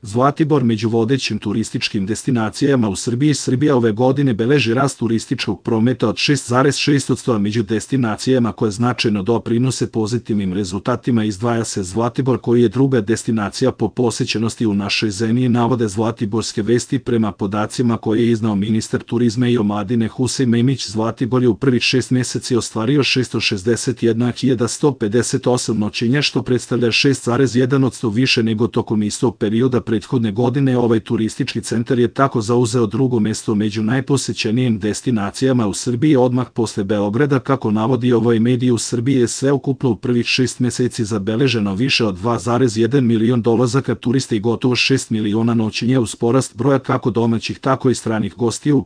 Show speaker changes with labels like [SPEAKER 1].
[SPEAKER 1] Zlatibor među vodećim turističkim destinacijama u Srbiji. Srbija ove godine beleži rast turističkog prometa od 6,6%, a među destinacijama koje značajno doprinose pozitivnim rezultatima izdvaja se Zlatibor, koji je druga destinacija po posećenosti u našoj zemlji, navode Zlatiborske vesti. Prema podacima koje je iznao ministar turizma i omladine Husein Memić, Zlatibor je u prvih 6 meseci ostvario 661.158 noćenja, što predstavlja 6,1% više nego tokom istog perioda prethodne godine. Ovaj turistički centar je tako zauzeo drugo mesto među najposećenijim destinacijama u Srbiji odmah posle Beograda. Kako navodi ovaj medij, u Srbiji je sveukupno u prvih 6 meseci zabeleženo više od 2,1 milion dolazaka turista i gotovo 6 miliona noćenja, uz porast broja kako domaćih tako i stranih gostiju.